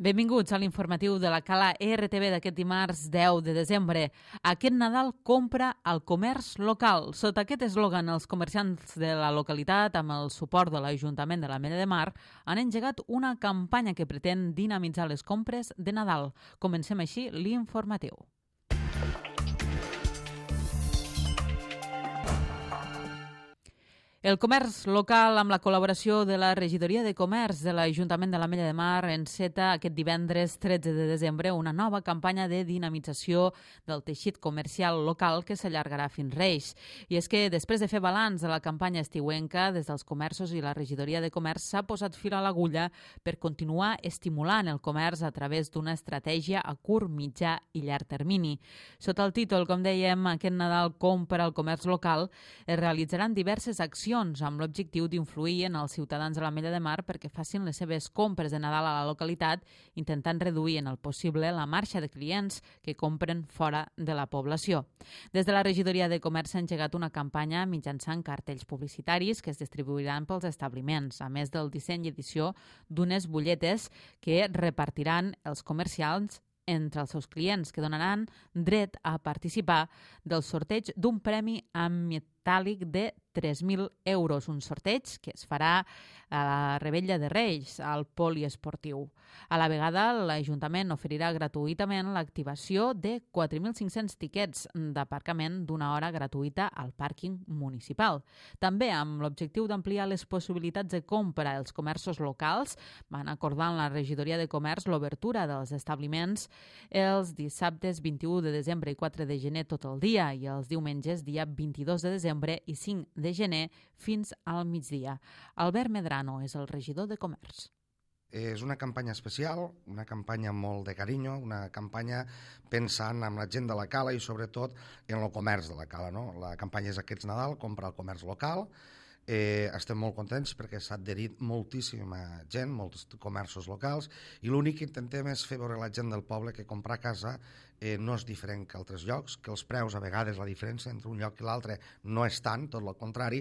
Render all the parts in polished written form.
Benvinguts a l'informatiu de la Cala RTV d'aquest dimarts 10 de desembre. Aquest Nadal compra al comerç local. Sota aquest eslògan, els comerciants de la localitat, amb el suport de l'Ajuntament de l'Ametlla de Mar, han engegat una campanya que pretén dinamitzar les compres de Nadal. Comencem així l'informatiu. El comerç local, amb la col·laboració de la Regidoria de Comerç de l'Ajuntament de l'Ametlla de Mar, enceta aquest divendres 13 de desembre una nova campanya de dinamització del teixit comercial local que s'allargarà fins Reis. I és que després de fer balanç de la campanya estiuenca, des dels comerços i la Regidoria de Comerç s'ha posat fil a l'agulla per continuar estimulant el comerç a través d'una estratègia a curt, mitjà i llarg termini. Sota el títol, com dèiem, aquest Nadal compra al comerç local, es realitzaran diverses accions amb l'objectiu d'influir en els ciutadans de l'Ametlla de Mar perquè facin les seves compres de Nadal a la localitat, intentant reduir en el possible la marxa de clients que compren fora de la població. Des de la Regidoria de Comerç s'ha engegat una campanya mitjançant cartells publicitaris que es distribuiran pels establiments, a més del disseny i edició d'unes butlletes que repartiran els comerciants entre els seus clients, que donaran dret a participar del sorteig d'un premi en metàl·lic de 3.000 euros, un sorteig que es farà a la Rebella de Reis, al poliesportiu. A la vegada, l'Ajuntament oferirà gratuïtament l'activació de 4.500 tiquets d'aparcament d'una hora gratuïta al pàrquing municipal. També, amb l'objectiu d'ampliar les possibilitats de compra als comerços locals, van acordar en la Regidoria de Comerç l'obertura dels establiments els dissabtes 21 de desembre i 4 de gener tot el dia i els diumenges dia 22 de desembre i 5 de gener fins al migdia. Albert Medrano és el regidor de Comerç. És una campanya especial, una campanya molt de carinyo, una campanya pensant en la gent de la Cala i sobretot en el comerç de la Cala, no? La campanya és aquest Nadal, compra el comerç local. Estem molt contents perquè s'ha adherit moltíssima gent, molts comerços locals, i l'únic que intentem és fer veure a la gent del poble que comprar a casa no és diferent que altres llocs, que els preus, a vegades la diferència entre un lloc i l'altre no és tant, tot el contrari,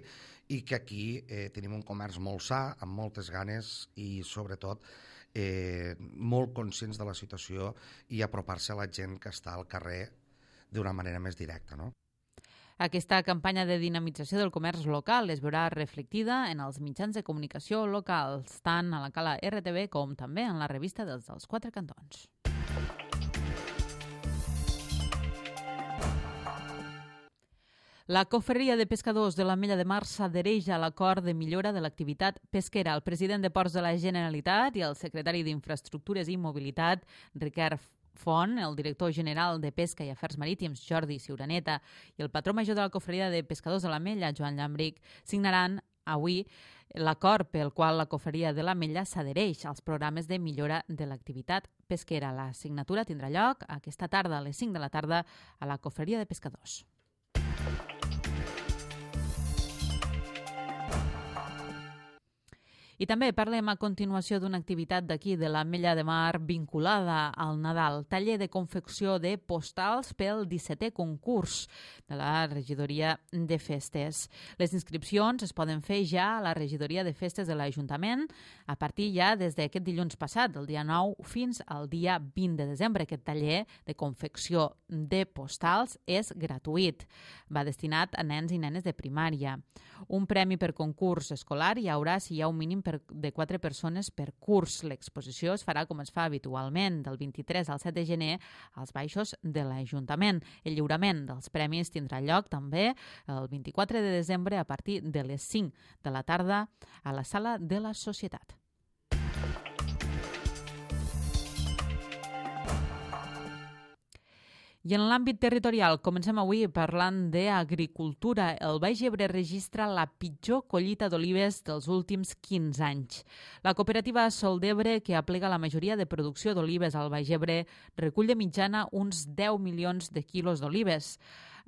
i que aquí tenim un comerç molt sa, amb moltes ganes i sobretot molt conscients de la situació i apropar-se a la gent que està al carrer d'una manera més directa, no? Aquesta campanya de dinamització del comerç local es veurà reflectida en els mitjans de comunicació locals, tant a la Cala RTV com també en la revista dels Quatre Cantons. La Cofreria de Pescadors de l'Ametlla de Mar s'adhereix a l'acord de millora de l'activitat pesquera. El president de Ports de la Generalitat i el secretari d'Infraestructures i Mobilitat, Ricard Font, el director general de Pesca i Afers Marítims, Jordi Ciuraneta, i el patró major de la Cofreria de Pescadors de l'Ametlla, Joan Llambric, signaran avui l'acord pel qual la Cofreria de l'Ametlla s'adhereix als programes de millora de l'activitat pesquera. La signatura tindrà lloc aquesta tarda a les 5 de la tarda a la Cofreria de Pescadors. I també parlem a continuació d'una activitat d'aquí de l'Ametlla de Mar vinculada al Nadal, taller de confecció de postals pel 17è concurs de la Regidoria de Festes. Les inscripcions es poden fer ja a la Regidoria de Festes de l'Ajuntament a partir ja des d'aquest dilluns passat, del dia 9 fins al dia 20 de desembre. Aquest taller de confecció de postals és gratuït. Va destinat a nens i nenes de primària. Un premi per concurs escolar hi haurà si hi ha un mínim de 4 persones per curs. L'exposició es farà com es fa habitualment, del 23 al 7 de gener als baixos de l'Ajuntament. El lliurament dels premis tindrà lloc també el 24 de desembre a partir de les 5 de la tarda a la Sala de la Societat. I en l'àmbit territorial, comencem avui parlant d'agricultura. El Baix Ebre registra la pitjor collita d'olives dels últims 15 anys. La cooperativa Sol d'Ebre, que aplega la majoria de producció d'olives al Baix Ebre, recull de mitjana uns 10 milions de quilos d'olives.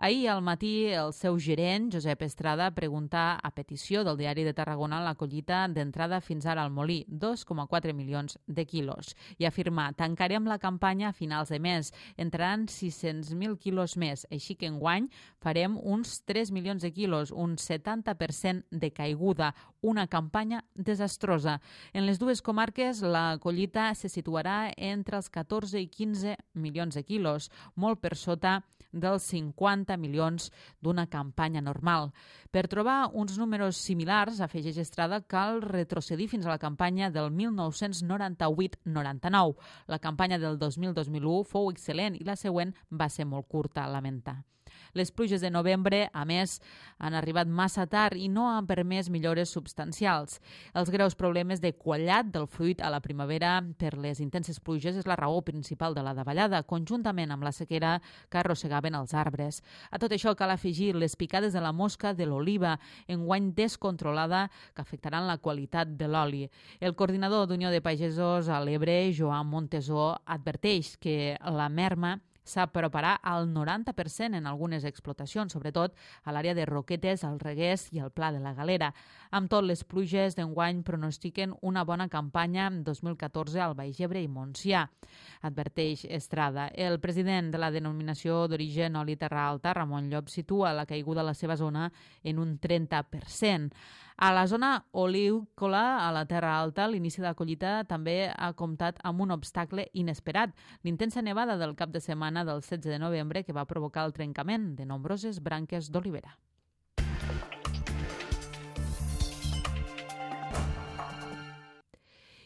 Ahir al matí el seu gerent, Josep Estrada, pregunta a petició del Diari de Tarragona la collita d'entrada fins ara al molí, 2,4 milions de quilos. I afirma, tancarem la campanya a finals de mes, entraran 600.000 quilos més, així que enguany farem uns 3 milions de quilos, un 70% de caiguda, una campanya desastrosa. En les dues comarques la collita se situarà entre els 14 i 15 milions de quilos, molt per sota dels 50 milions d'una campanya normal. Per trobar uns números similars, afegeix Estrada, cal retrocedir fins a la campanya del 1998-99. La campanya del 2000-2001 fou excel·lent i la següent va ser molt curta, lamenta. Les pluges de novembre, a més, han arribat massa tard i no han permès millores substancials. Els greus problemes de quallat del fruit a la primavera per les intenses pluges és la raó principal de la davallada, conjuntament amb la sequera que arrossegaven els arbres. A tot això cal afegir les picades de la mosca de l'oliva, enguany descontrolada, que afectaran la qualitat de l'oli. El coordinador d'Unió de Pagesos a l'Ebre, Joan Montesó, adverteix que la merma s'aproparà al 90% en algunes explotacions, sobretot a l'àrea de Roquetes, el Reguers i el Pla de la Galera. Amb tot, les pluges d'enguany pronostiquen una bona campanya en 2014 al Baix Ebre i Montsià, adverteix Estrada. El president de la denominació d'origen oli terra alta, Ramon Llop, situa la caiguda a la seva zona en un 30%. A la zona olícola, a la Terra Alta, l'inici de la collita també ha comptat amb un obstacle inesperat, l'intensa nevada del cap de setmana del 16 de novembre que va provocar el trencament de nombroses branques d'olivera.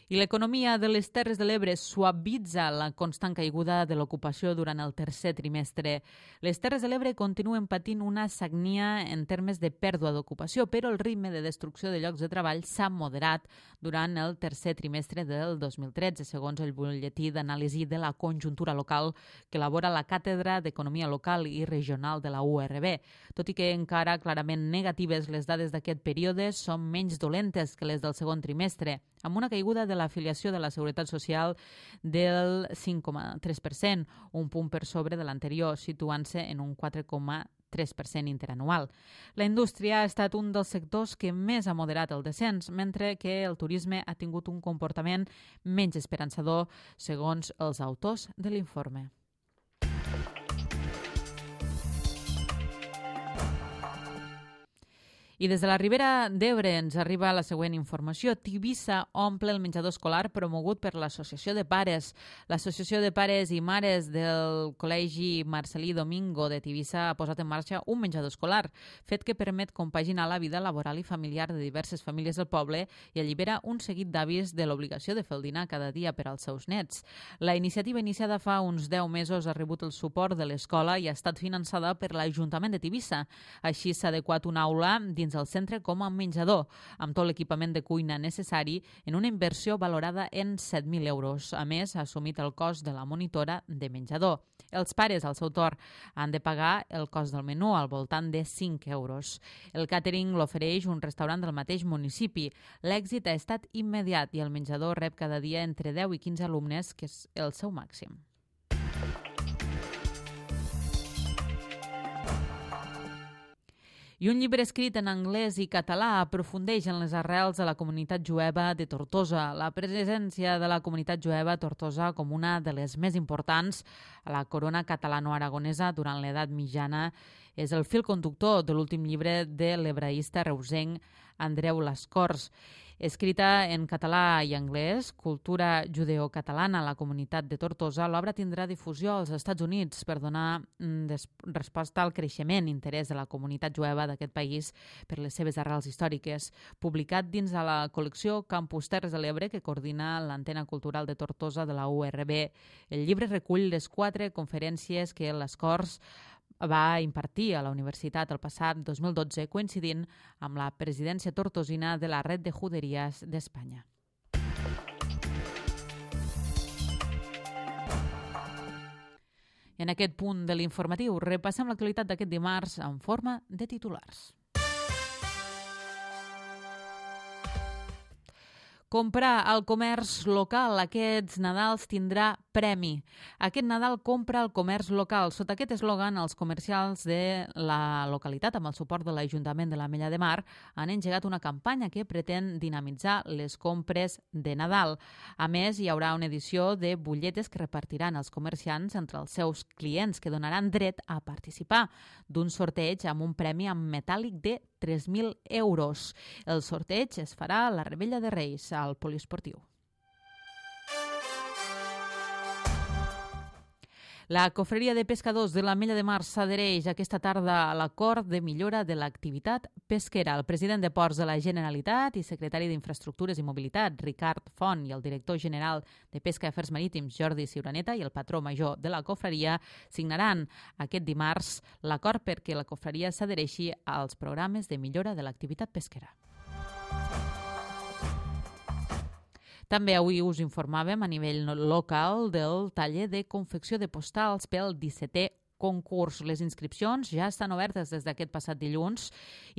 I l'economia de les Terres de l'Ebre suavitza la constant caiguda de l'ocupació durant el tercer trimestre. Les Terres de l'Ebre continuen patint una sagnia en termes de pèrdua d'ocupació, però el ritme de destrucció de llocs de treball s'ha moderat durant el tercer trimestre del 2013, segons el butlletí d'anàlisi de la conjuntura local que elabora la Càtedra d'Economia Local i Regional de la URB. Tot i que encara clarament negatives, les dades d'aquest període són menys dolentes que les del segon trimestre, amb una caiguda de l'afiliació de la Seguretat Social del 5,3%, un punt per sobre de l'anterior, situant-se en un 4,3% interanual. La indústria ha estat un dels sectors que més ha moderat el descens, mentre que el turisme ha tingut un comportament menys esperançador, segons els autors de l'informe. I des de la Ribera d'Ebre ens arriba la següent informació. Tivissa omple el menjador escolar promogut per l'Associació de Pares. L'Associació de Pares i Mares del Col·legi Marcelí Domingo de Tivissa ha posat en marxa un menjador escolar, fet que permet compaginar la vida laboral i familiar de diverses famílies del poble i allibera un seguit d'avis de l'obligació de fer el dinar cada dia per als seus nets. La iniciativa iniciada fa uns 10 mesos ha rebut el suport de l'escola i ha estat finançada per l'Ajuntament de Tivissa. Així s'ha adequat una aula dins el centre com a menjador, amb tot l'equipament de cuina necessari en una inversió valorada en 7.000 euros. A més, ha assumit el cost de la monitora de menjador. Els pares, al seu torn, han de pagar el cost del menú al voltant de 5 euros. El càtering l'ofereix un restaurant del mateix municipi. L'èxit ha estat immediat i el menjador rep cada dia entre 10 i 15 alumnes, que és el seu màxim. I un llibre escrit en anglès i català aprofundeix en les arrels de la comunitat jueva de Tortosa. La presència de la comunitat jueva a Tortosa com una de les més importants a la corona catalano-aragonesa durant l'edat mitjana és el fil conductor de l'últim llibre de l'hebraista reusenc Andreu Lascors. Escrita en català i anglès, Cultura judeocatalana a la comunitat de Tortosa, l'obra tindrà difusió als Estats Units per donar resposta al creixement i interès de la comunitat jueva d'aquest país per les seves arrels històriques. Publicat dins de la col·lecció Campus Terres de l'Ebre, que coordina l'Antena Cultural de Tortosa de la URB, el llibre recull les 4 conferències que Lascors va impartir a la universitat el passat 2012, coincidint amb la presidència tortosina de la Red de Juderies d'Espanya. En aquest punt de l'informatiu repassem l'actualitat d'aquest dimarts en forma de titulars. Comprar al comerç local aquests Nadals tindrà premi. Aquest Nadal compra al comerç local. Sota aquest eslògan, els comercials de la localitat, amb el suport de l'Ajuntament de l'Ametlla de Mar, han engegat una campanya que pretén dinamitzar les compres de Nadal. A més, hi haurà una edició de butlletes que repartiran els comerciants entre els seus clients, que donaran dret a participar d'un sorteig amb un premi en metàl·lic de 3.000 euros. El sorteig es farà a la Revetlla de Reis, al poliesportiu. La Cofreria de Pescadors de l'Ametlla de Mar s'adhereix aquesta tarda a l'acord de millora de l'activitat pesquera. El president de Ports de la Generalitat i secretari d'Infraestructures i Mobilitat, Ricard Font, i el director general de Pesca i Afers Marítims, Jordi Ciuraneta, i el patró major de la Cofreria signaran aquest dimarts l'acord perquè la Cofreria s'adhereixi als programes de millora de l'activitat pesquera. També avui us informàvem a nivell local del taller de confecció de postals pel 17è concurs. Les inscripcions ja estan obertes des d'aquest passat dilluns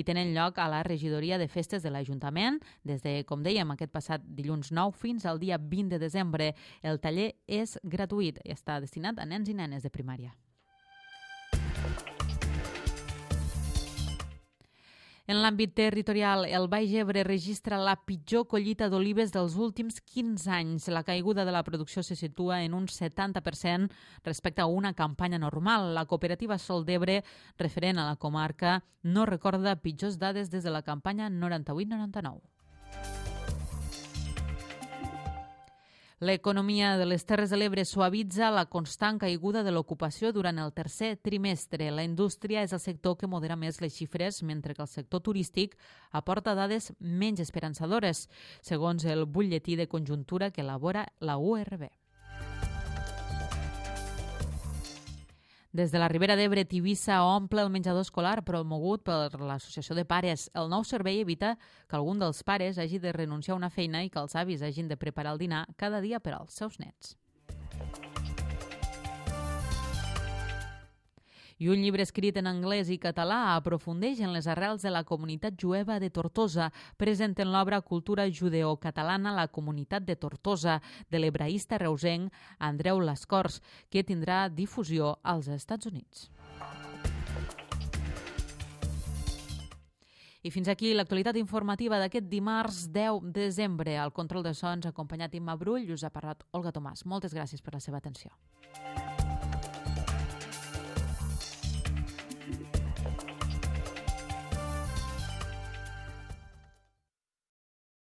i tenen lloc a la regidoria de festes de l'Ajuntament des de, com dèiem, aquest passat dilluns 9 fins al dia 20 de desembre. El taller és gratuït i està destinat a nens i nenes de primària. En l'àmbit territorial, el Baix Ebre registra la pitjor collita d'olives dels últims 15 anys. La caiguda de la producció se situa en un 70% respecte a una campanya normal. La cooperativa Sol d'Ebre, referent a la comarca, no recorda pitjors dades des de la campanya 98-99. L'economia de les Terres de l'Ebre suavitza la constant caiguda de l'ocupació durant el tercer trimestre. La indústria és el sector que modera més les xifres, mentre que el sector turístic aporta dades menys esperançadores, segons el butlletí de conjuntura que elabora la URB. Des de la Ribera d'Ebre, Tivissa omple el menjador escolar promogut per l'Associació de Pares. El nou servei evita que algun dels pares hagi de renunciar a una feina i que els avis hagin de preparar el dinar cada dia per als seus nets. I un llibre escrit en anglès i català aprofundeix en les arrels de la comunitat jueva de Tortosa. Presenten l'obra Cultura judeocatalana, la comunitat de Tortosa, de l'hebraista reusenc Andreu Lascors, que tindrà difusió als Estats Units. I fins aquí l'actualitat informativa d'aquest dimarts 10 de desembre. Al control de sons, acompanyat Imma Brull, us ha parlat Olga Tomàs. Moltes gràcies per la seva atenció.